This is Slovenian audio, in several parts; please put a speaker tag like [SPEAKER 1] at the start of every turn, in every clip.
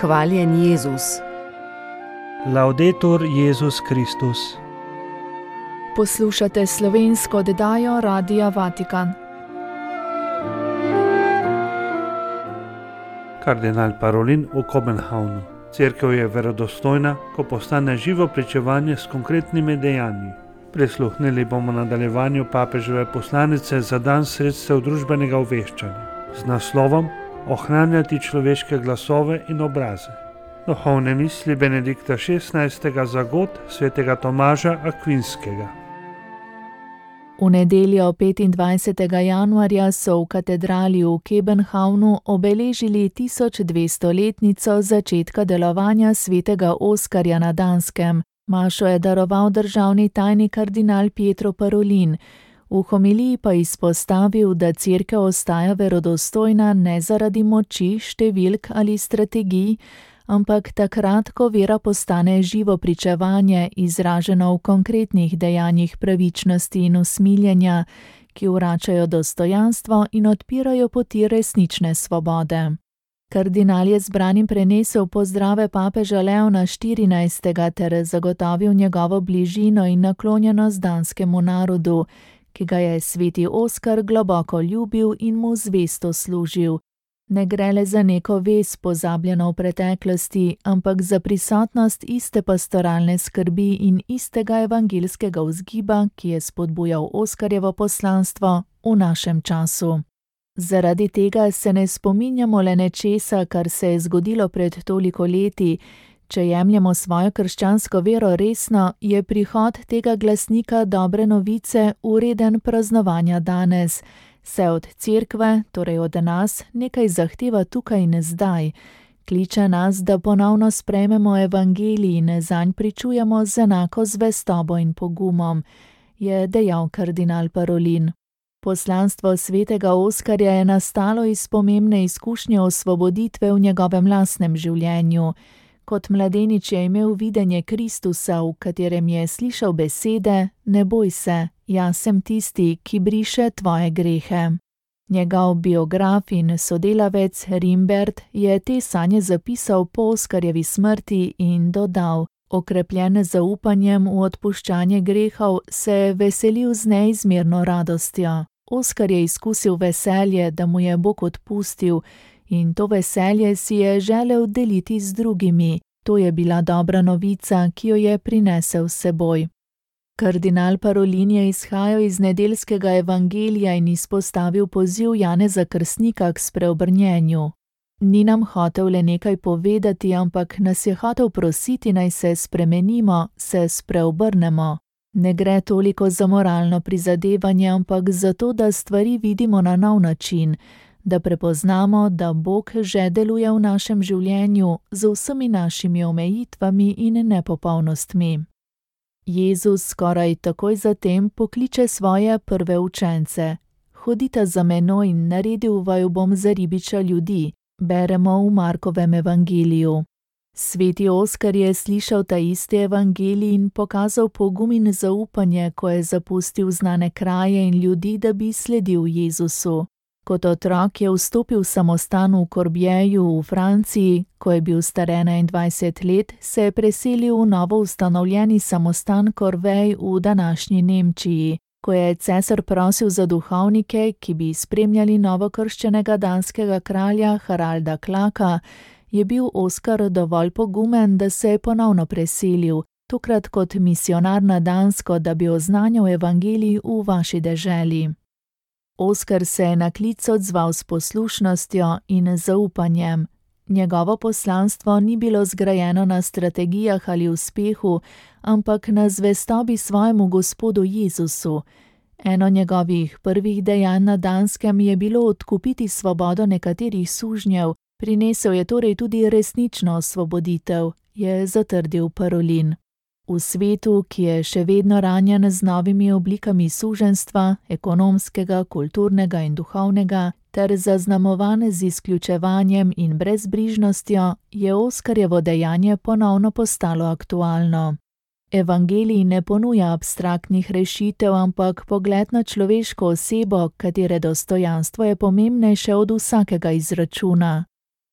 [SPEAKER 1] Hvaljen Jezus.
[SPEAKER 2] Laudetur Jezus Kristus.
[SPEAKER 3] Poslušate slovensko oddajo Radia Vatikan.
[SPEAKER 2] Kardinal Parolin v Kopenhavnu. Cerkev je verodostojna, ko postane živo pričevanje s konkretnimi dejanji. Prisluhnili bomo nadaljevanju papeževe poslanice za dan sredstev družbenega obveščanja z naslovom Ohranjati človeške glasove in obraze. Duhovne misli Benedikta XVI. Za god svetega Tomaža Akvinskega.
[SPEAKER 3] V nedeljo 25. januarja so v katedrali v Kopenhavnu obeležili 1200-letnico začetka delovanja svetega Oskarja na Danskem. Mašo je daroval državni tajnik kardinal Pietro Parolin. V homiliji pa izpostavil, da cerkev ostaja verodostojna ne zaradi moči, številk ali strategij, ampak takrat, ko vera postane živo pričevanje, izraženo v konkretnih dejanjih pravičnosti in usmiljenja, ki vračajo dostojanstvo in odpirajo poti resnične svobode. Kardinal je zbranim prenesel pozdrave papeža Leona XIV. Ter zagotovil njegovo bližino in naklonjenost danskemu narodu, ki ga je sveti Oskar globoko ljubil in mu zvesto služil. Ne gre le za neko vez pozabljeno v preteklosti, ampak za prisotnost iste pastoralne skrbi in istega evangeljskega vzgiba, ki je spodbujal Oskarjevo poslanstvo v našem času. Zaradi tega se ne spominjamo le nečesa, kar se je zgodilo pred toliko leti. Če jemljemo svojo krščansko vero resno, je prihod tega glasnika dobre novice vreden praznovanja danes. Se od cerkve, torej od nas, nekaj zahteva tukaj in zdaj. Kliče nas, da ponovno sprejmemo evangelij in zanj pričujemo z enako zvestobo in pogumom, je dejal kardinal Parolin. Poslanstvo svetega Oskarja je nastalo iz pomembne izkušnje osvoboditve v njegovem lastnem življenju. Kot mladenič je imel videnje Kristusa, v katerem je slišal besede: ne boj se, jaz sem tisti, ki briše tvoje grehe. Njegov biograf in sodelavec Rimbert je te sanje zapisal po Oskarjevi smrti in dodal: okrepljen z zaupanjem v odpuščanje grehov, se je veselil z neizmerno radostjo. Oskar je izkusil veselje, da mu je Bog odpustil, in to veselje si je želel deliti z drugimi. To je bila dobra novica, ki jo je prinesel s seboj. Kardinal Parolin je izhajal iz nedeljskega evangelija in izpostavil poziv Janeza Krstnika k spreobrnjenju. Ni nam hotel le nekaj povedati, ampak nas je hotel prositi, naj se spremenimo, se spreobrnemo. Ne gre toliko za moralno prizadevanje, ampak za to, da stvari vidimo na nov način, da prepoznamo, da Bog že deluje v našem življenju z vsemi našimi omejitvami in nepopolnostmi. Jezus skoraj takoj zatem pokliče svoje prve učence. Hodite za menoj in naredil vaju bom za ribiča ljudi, beremo v Markovem evangeliju. Sveti Oskar je slišal ta isti evangelij in pokazal pogum in zaupanje, ko je zapustil znane kraje in ljudi, da bi sledil Jezusu. Kot otrok je vstopil v samostan v Corbieju v Franciji, ko je bil star 21 let, se je preselil v novo ustanovljeni samostan Corvej v današnji Nemčiji. Ko je cesar prosil za duhovnike, ki bi spremljali novokrščenega danskega kralja Haralda Klaka, je bil Oskar dovolj pogumen, da se je ponovno preselil, tokrat kot misionar na Dansko, da bi oznanjal evangelij v vaši deželi. Oskar se je na klic odzval s poslušnostjo in zaupanjem. Njegovo poslanstvo ni bilo zgrajeno na strategijah ali uspehu, ampak na zvestobi svojemu Gospodu Jezusu. Eno njegovih prvih dejanj na Danskem je bilo odkupiti svobodo nekaterih sužnjev, prinesel je torej tudi resnično osvoboditev, je zatrdil Parolin. V svetu, ki je še vedno ranjen z novimi oblikami suženjstva, ekonomskega, kulturnega in duhovnega, ter zaznamovan z izključevanjem in brezbrižnostjo, je Oskarjevo dejanje ponovno postalo aktualno. Evangelij ne ponuja abstraktnih rešitev, ampak pogled na človeško osebo, katere dostojanstvo je pomembnejše od vsakega izračuna.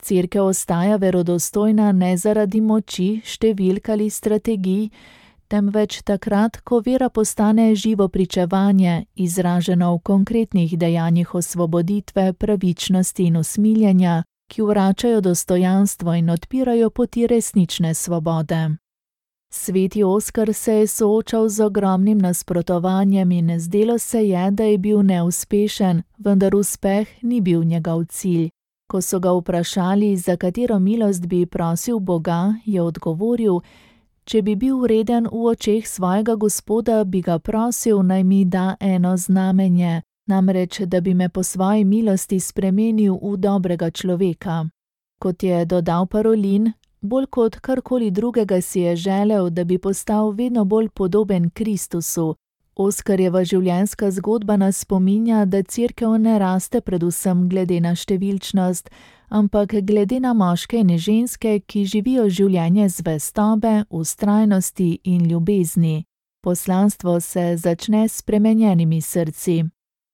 [SPEAKER 3] Cerkev ostaja verodostojna ne zaradi moči, številk ali strategij, temveč takrat, ko vera postane živo pričevanje, izraženo v konkretnih dejanjih osvoboditve, pravičnosti in usmiljenja, ki vračajo dostojanstvo in odpirajo poti resnične svobode. Sveti Oskar se je soočal z ogromnim nasprotovanjem in zdelo se je, da je bil neuspešen, vendar uspeh ni bil njegov cilj. Ko so ga vprašali, za katero milost bi prosil Boga, je odgovoril: če bi bil vreden v očeh svojega Gospoda, bi ga prosil, naj mi da eno znamenje, namreč, da bi me po svoji milosti spremenil v dobrega človeka. Kot je dodal Parolin, bolj kot karkoli drugega si je želel, da bi postal vedno bolj podoben Kristusu. Oskarjeva življenjska zgodba nas spominja, da cerkev ne raste predvsem glede na številčnost, ampak glede na moške in ženske, ki živijo življenje zvestobe, vztrajnosti in ljubezni. Poslanstvo se začne s spremenjenimi srci.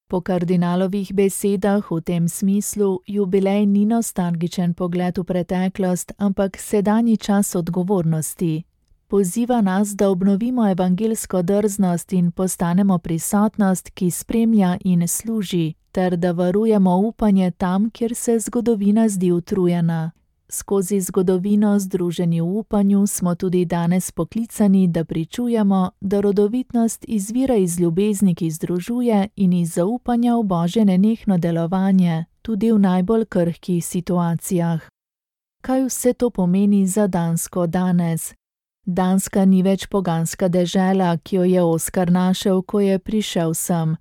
[SPEAKER 3] Po kardinalovih besedah v tem smislu jubilej ni nostalgičen pogled v preteklost, ampak sedanji čas odgovornosti. Poziva nas, da obnovimo evangeljsko drznost in postanemo prisotnost, ki spremlja in služi, ter da varujemo upanje tam, kjer se zgodovina zdi utrujena. Skozi zgodovino združeni v upanju smo tudi danes poklicani, da pričujemo, da rodovitnost izvira iz ljubezni, ki združuje, in iz zaupanja v Božje nenehno delovanje, tudi v najbolj krhkih situacijah. Kaj vse to pomeni za Dansko danes? Danska ni več poganska dežela, ki jo je Oskar našel, ko je prišel sem.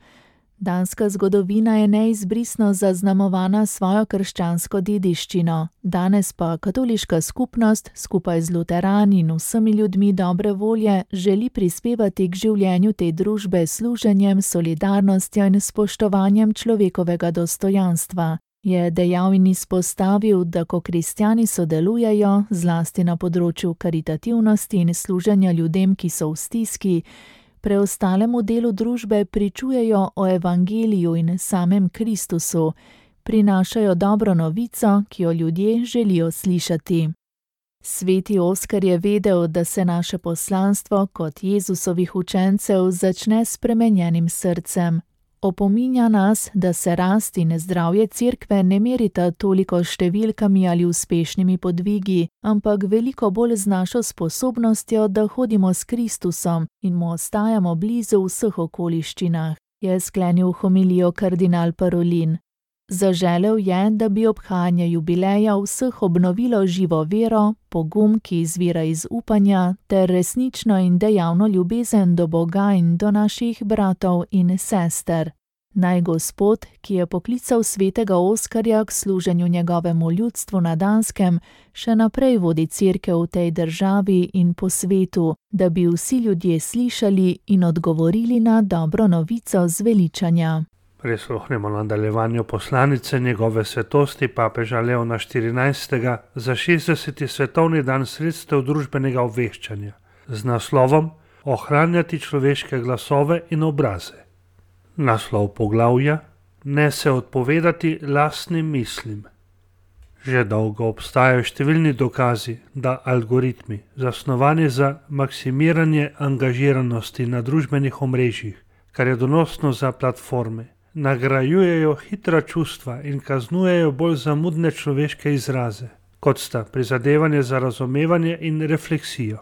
[SPEAKER 3] Danska zgodovina je neizbrisno zaznamovana svojo krščansko dediščino, danes pa katoliška skupnost skupaj z luterani in vsemi ljudmi dobre volje želi prispevati k življenju te družbe s služenjem, solidarnostjo in spoštovanjem človekovega dostojanstva. Je dejal in izpostavil, da ko kristjani sodelujejo, zlasti na področju karitativnosti in služenja ljudem, ki so v stiski, preostalemu delu družbe pričujejo o evangeliju in samem Kristusu, prinašajo dobro novico, ki jo ljudje želijo slišati. Sveti Oskar je vedel, da se naše poslanstvo kot Jezusovih učencev začne s spremenjenim srcem. Opominja nas, da se rast in zdravje cerkve ne merita toliko številkami ali uspešnimi podvigi, ampak veliko bolj z našo sposobnostjo, da hodimo s Kristusom in mu ostajamo blizu v vseh okoliščinah, je sklenil homilijo kardinal Parolin. Zaželel je, da bi obhajanje jubileja vseh obnovilo živo vero, pogum, ki izvira iz upanja, ter resnično in dejavno ljubezen do Boga in do naših bratov in sester. Naj Gospod, ki je poklical svetega Oskarja k služenju njegovemu ljudstvu na Danskem, še naprej vodi cerkev v tej državi in po svetu, da bi vsi ljudje slišali in odgovorili na dobro novico zveličanja.
[SPEAKER 2] Prisluhnemo nadaljevanju poslanice njegove svetosti papeža Leona XIV. Za 60. svetovni dan sredstev družbenega obveščanja z naslovom Ohranjati človeške glasove in obraze. Naslov poglavja: Ne se odpovedati lastnim mislim. Že dolgo obstajajo številni dokazi, da algoritmi, zasnovani za maksimiranje angažiranosti na družbenih omrežjih, kar je donosno za platforme, nagrajujejo hitra čustva in kaznujejo bolj zamudne človeške izraze, kot sta prizadevanje za razumevanje in refleksijo.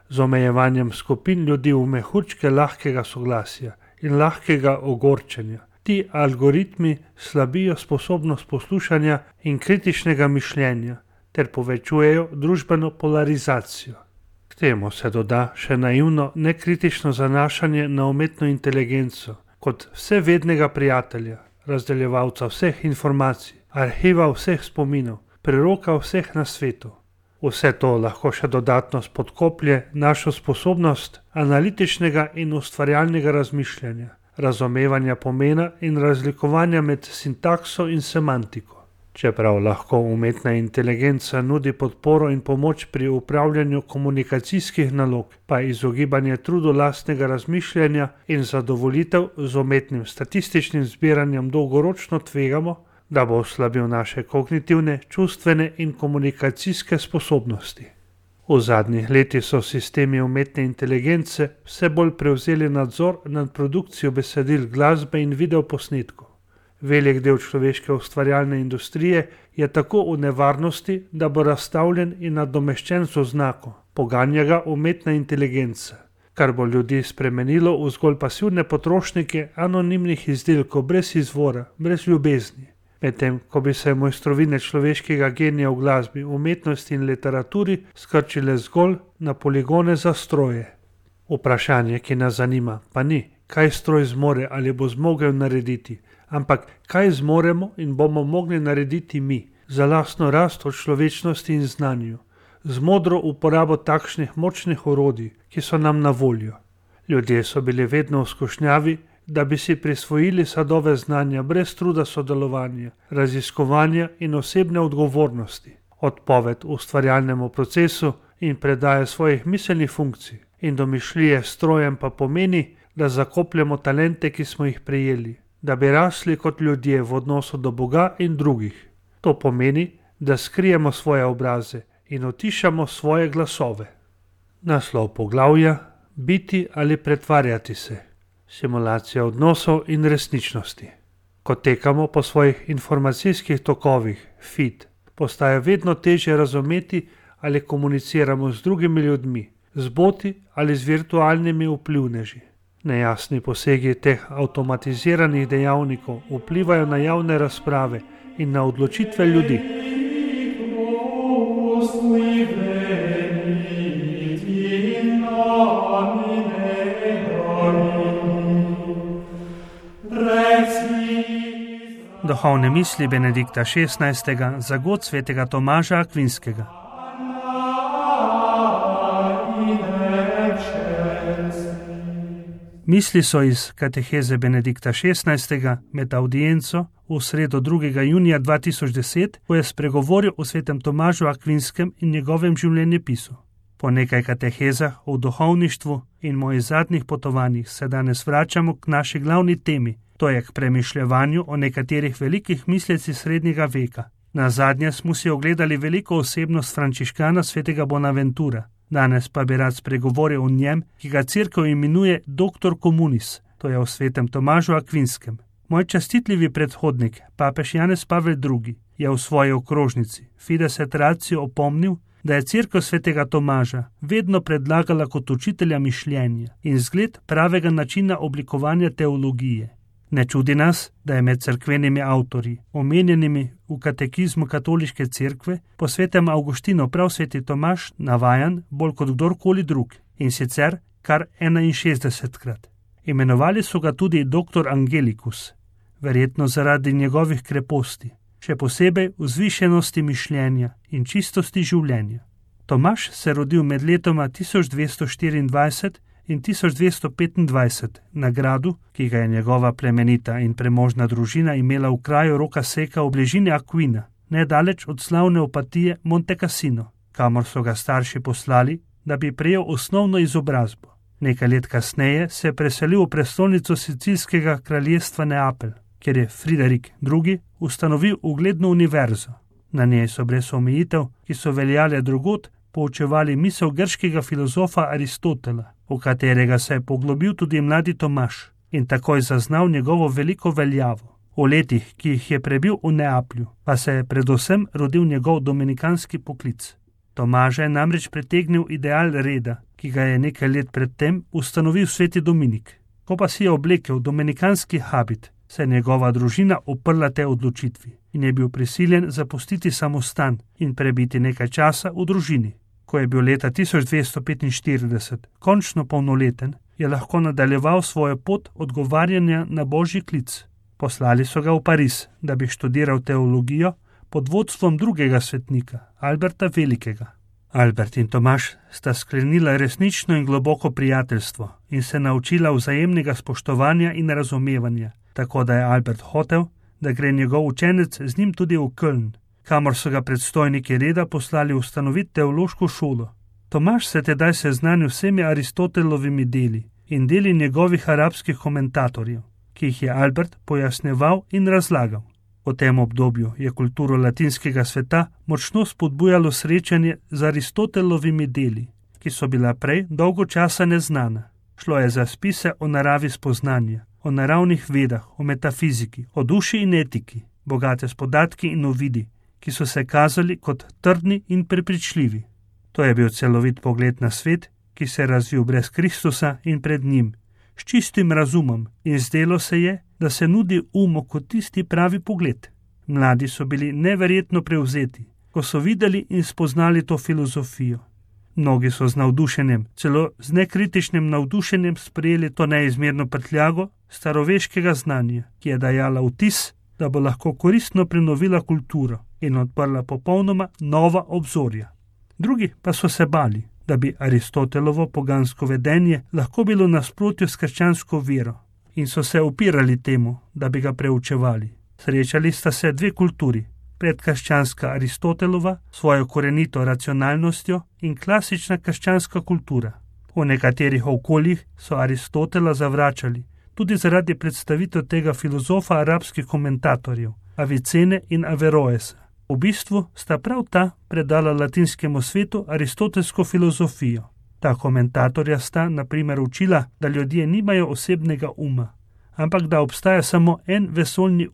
[SPEAKER 2] Z omejevanjem skupin ljudi v mehurčke lahkega soglasja in lahkega ogorčenja, ti algoritmi slabijo sposobnost poslušanja in kritičnega mišljenja ter povečujejo družbeno polarizacijo. K temu se doda še naivno, nekritično zanašanje na umetno inteligenco, kot vsevednega prijatelja, razdeljevalca vseh informacij, arhiva vseh spominov, preroka vseh na svetu. Vse to lahko še dodatno spodkoplje našo sposobnost analitičnega in ustvarjalnega razmišljanja, razumevanja pomena in razlikovanja med sintakso in semantiko. Čeprav lahko umetna inteligenca nudi podporo in pomoč pri upravljanju komunikacijskih nalog, pa izogibanje trudu lastnega razmišljanja in zadovoljitev z umetnim statističnim zbiranjem dolgoročno tvegamo, da bo oslabil naše kognitivne, čustvene in komunikacijske sposobnosti. V zadnjih letih so sistemi umetne inteligence vse bolj prevzeli nadzor nad produkcijo besedil, glasbe in videoposnetkov. Velik del človeške ustvarjalne industrije je tako v nevarnosti, da bo razstavljen in nadomeščen z oznako, poganja ga umetna inteligenca, kar bo ljudi spremenilo v zgolj pasivne potrošnike anonimnih izdelkov brez izvora, brez ljubezni. Medtem ko bi se mojstrovine človeškega genija v glasbi, umetnosti in literaturi skrčile zgolj na poligone za stroje. Vprašanje, ki nas zanima, pa ni, kaj stroj zmore ali bo zmogel narediti, ampak kaj zmoremo in bomo mogli narediti mi za lastno rast v človečnosti in znanju, z modro uporabo takšnih močnih orodij, ki so nam na voljo. Ljudje so bili vedno v skušnjavi, da bi si prisvojili sadove znanja brez truda sodelovanja, raziskovanja in osebne odgovornosti, odpoved ustvarjalnemu procesu in predaje svojih miselnih funkcij in domišljije strojem pa pomeni, da zakopljemo talente, ki smo jih prejeli, da bi rasli kot ljudje v odnosu do Boga in drugih. To pomeni, da skrijemo svoje obraze in utišamo svoje glasove. Naslov poglavja: biti ali pretvarjati se. Simulacija odnosov in resničnosti. Ko tekamo po svojih informacijskih tokovih, feed, postaje vedno težje razumeti ali komuniciramo z drugimi ljudmi, z boti ali z virtualnimi vplivneži. Nejasni posegi teh avtomatiziranih dejavnikov vplivajo na javne razprave in na odločitve ljudi. Duhovne misli Benedikta XVI za god svetega Tomaža Akvinskega. Misli so iz kateheze Benedikta XVI med audienco v sredo 2. junija 2010, ko je spregovoril o svetem Tomažu Akvinskem in njegovem življenjepisu. Po nekaj katehezah o duhovništvu in mojih zadnjih potovanjih se danes vračamo k naši glavni temi, to je k premišljevanju o nekaterih velikih mislecih srednjega veka. Nazadnje smo si ogledali veliko osebnost frančiškana svetega Bonaventura. Danes pa bi rad spregovoril o njem, ki ga cerkev imenuje Doctor Communis, to je o svetem Tomažu Akvinskem. Moj častitljivi predhodnik, papež Janez Pavel II, je v svoji okrožnici Fides et Ratio opomnil, da je cerkev svetega Tomaža vedno predlagala kot učitelja mišljenja in zgled pravega načina oblikovanja teologije. Ne čudi nas, da je med cerkvenimi avtorji, omenjenimi v katekizmu katoliške cerkve, po svetem Avgustinu prav sveti Tomaž navajan bolj kot kdorkoli drug, in sicer kar 61krat. Imenovali so ga tudi doktor Angelicus, verjetno zaradi njegovih kreposti, še posebej vzvišenosti mišljenja in čistosti življenja. Tomaž se rodil med letoma 1224 in 1225 na gradu, ki ga je njegova plemenita in premožna družina imela v kraju Roka Seka v bližini Aquina, nedaleč od slavne opatije Monte Cassino, kamor so ga starši poslali, da bi prejel osnovno izobrazbo. Nekaj let kasneje se je preselil v prestolnico sicilskega kraljestva Neapelj, kjer je Friderik II. Ustanovil ugledno univerzo. Na njej so brez omejitev, ki so veljale drugod, poučevali misel grškega filozofa Aristotela, v katerega se je poglobil tudi mladi Tomaž in takoj zaznal njegovo veliko veljavo. V letih, ki jih je prebil v Neaplju, pa se je predvsem rodil njegov dominikanski poklic. Tomaža je namreč pritegnil ideal reda, ki ga je nekaj let predtem ustanovil sveti Dominik. Ko pa si je oblekel dominikanski habit, se je njegova družina uprla tej odločitvi in je bil prisiljen zapustiti samostan in prebiti nekaj časa v družini. Ko je bil leta 1245 končno polnoleten, je lahko nadaljeval svojo pot odgovarjanja na božji klic. Poslali so ga v Pariz, da bi študiral teologijo pod vodstvom drugega svetnika, Alberta Velikega. Albert in Tomaž sta sklenila resnično in globoko prijateljstvo in se naučila vzajemnega spoštovanja in razumevanja, tako da je Albert hotel, da gre njegov učenec z njim tudi v Köln, kamor so ga predstojniki reda poslali ustanoviti teološko šolo. Tomaž se tedaj seznanil vsemi Aristotelovimi deli in deli njegovih arabskih komentatorjev, ki jih je Albert pojasnjeval in razlagal. V tem obdobju je kulturo latinskega sveta močno spodbujalo srečanje z Aristotelovimi deli, ki so bila prej dolgo časa neznana. Šlo je za spise o naravi spoznanja, o naravnih vedah, o metafiziki, o duši in etiki, bogate s podatki in uvidi, ki so se kazali kot trdni in prepričljivi. To je bil celovit pogled na svet, ki se je razvil brez Kristusa in pred njim, s čistim razumom, in zdelo se je, da se nudi umu kot tisti pravi pogled. Mladi so bili neverjetno prevzeti, ko so videli in spoznali to filozofijo. Mnogi so z navdušenjem, celo z nekritičnim navdušenjem sprejeli to neizmerno prtljago staroveškega znanja, ki je dajala vtis, da bo lahko koristno prenovila kulturo in odprla popolnoma nova obzorja. Drugi pa so se bali, da bi Aristotelovo pogansko vedenje lahko bilo v nasprotju s krščansko vero, in so se upirali temu, da bi ga preučevali. Srečali sta se dve kulturi, predkrščanska Aristotelova s svojo korenito racionalnostjo in klasična krščanska kultura. V nekaterih okoljih so Aristotela zavračali, tudi zaradi predstavitev tega filozofa arabskih komentatorjev, Avicene in Averroesa. V bistvu sta prav ta predala latinskemu svetu aristotelsko filozofijo. Ta komentatorja sta, na primer, učila, da ljudje nimajo osebnega uma, ampak da obstaja samo en vesoljni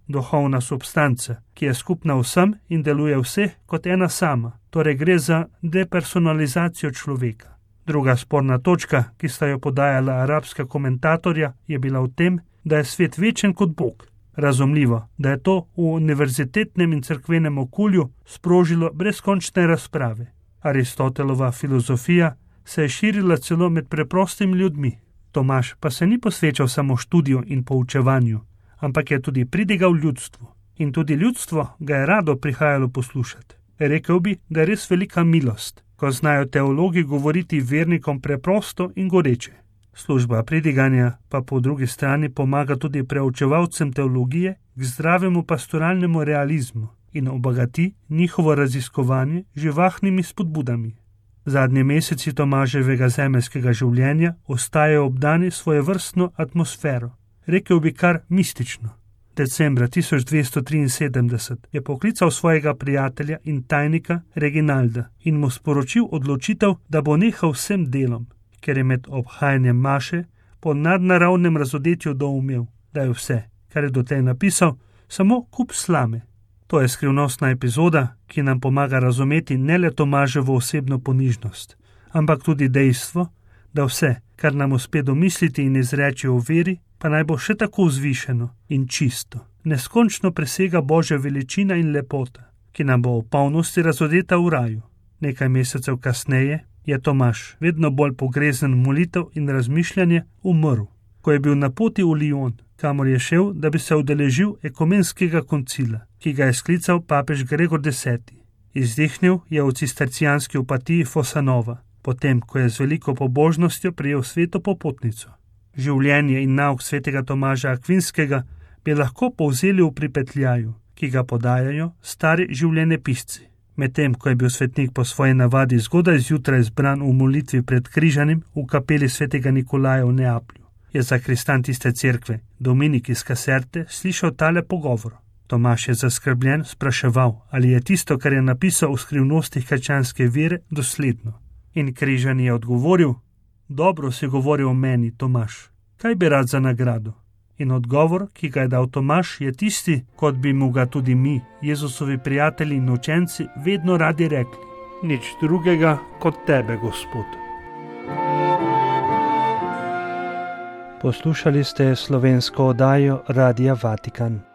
[SPEAKER 2] duhovna substanca, ki je skupna vsem in deluje vseh kot ena sama, torej gre za depersonalizacijo človeka. Druga sporna točka, ki sta jo podajala arabska komentatorja, je bila v tem, da je svet večen kot Bog. Razumljivo, da je to v univerzitetnem in cerkvenem okolju sprožilo brezkončne razprave. Aristotelova filozofija se je širila celo med preprostimi ljudmi. Tomaž pa se ni posvečal samo študiju in poučevanju, ampak je tudi pridigal ljudstvu. In tudi ljudstvo ga je rado prihajalo poslušati. Rekel bi, da je res velika milost, ko znajo teologi govoriti vernikom preprosto in goreče. Služba pridiganja pa po drugi strani pomaga tudi preučevalcem teologije k zdravemu pastoralnemu realizmu in obogati njihovo raziskovanje živahnimi spodbudami. Zadnji meseci Tomaževega zemeljskega življenja ostajajo obdani svojevrstno atmosfero, rekel bi kar mistično. Decembra 1273 je poklical svojega prijatelja in tajnika Reginalda in mu sporočil odločitev, da bo nehal vsem delom, ker je med obhajanjem maše po nadnaravnem razodetju doumel, da je vse, kar je dotlej napisal, samo kup slame. To je skrivnostna epizoda, ki nam pomaga razumeti ne le Tomaževo osebno ponižnost, ampak tudi dejstvo, da vse, kar nam uspe domisliti in izreči o veri, pa naj bo še tako vzvišeno in čisto, neskončno presega Božja veličina in lepota, ki nam bo v polnosti razodeta v raju. Nekaj mesecev kasneje je Tomaž, vedno bolj pogrezen molitev in razmišljanje, umrl, ko je bil na poti v Lyon, kamor je šel, da bi se udeležil ekumenskega koncila, ki ga je sklical papež Gregor X. Izdihnil je v cistercijanski opatiji Fosanova, potem, ko je z veliko pobožnostjo prejel sveto popotnico. Življenje in nauk svetega Tomaža Akvinskega bi lahko povzeli v pripetljaju, ki ga podajajo stari življenjepisci. Medtem, ko je bil svetnik po svoji navadi zgodaj zjutraj zbran v molitvi pred križanjem v kapeli svetega Nikolaja v Neaplju, je zakristan tiste cerkve, Dominik iz Kaserte, slišal tale pogovor. Tomaž je zaskrbljen spraševal, ali je tisto, kar je napisal v skrivnostih krščanske vere, dosledno. In križan je odgovoril: dobro si govoril o meni, Tomaž, kaj bi rad za nagrado? In odgovor, ki ga je dal Tomaž, je tisti, kot bi mu ga tudi mi, Jezusovi prijatelji in učenci, vedno radi rekli: nič drugega kot tebe, Gospod. Poslušali ste slovensko oddajo Radia Vatikan.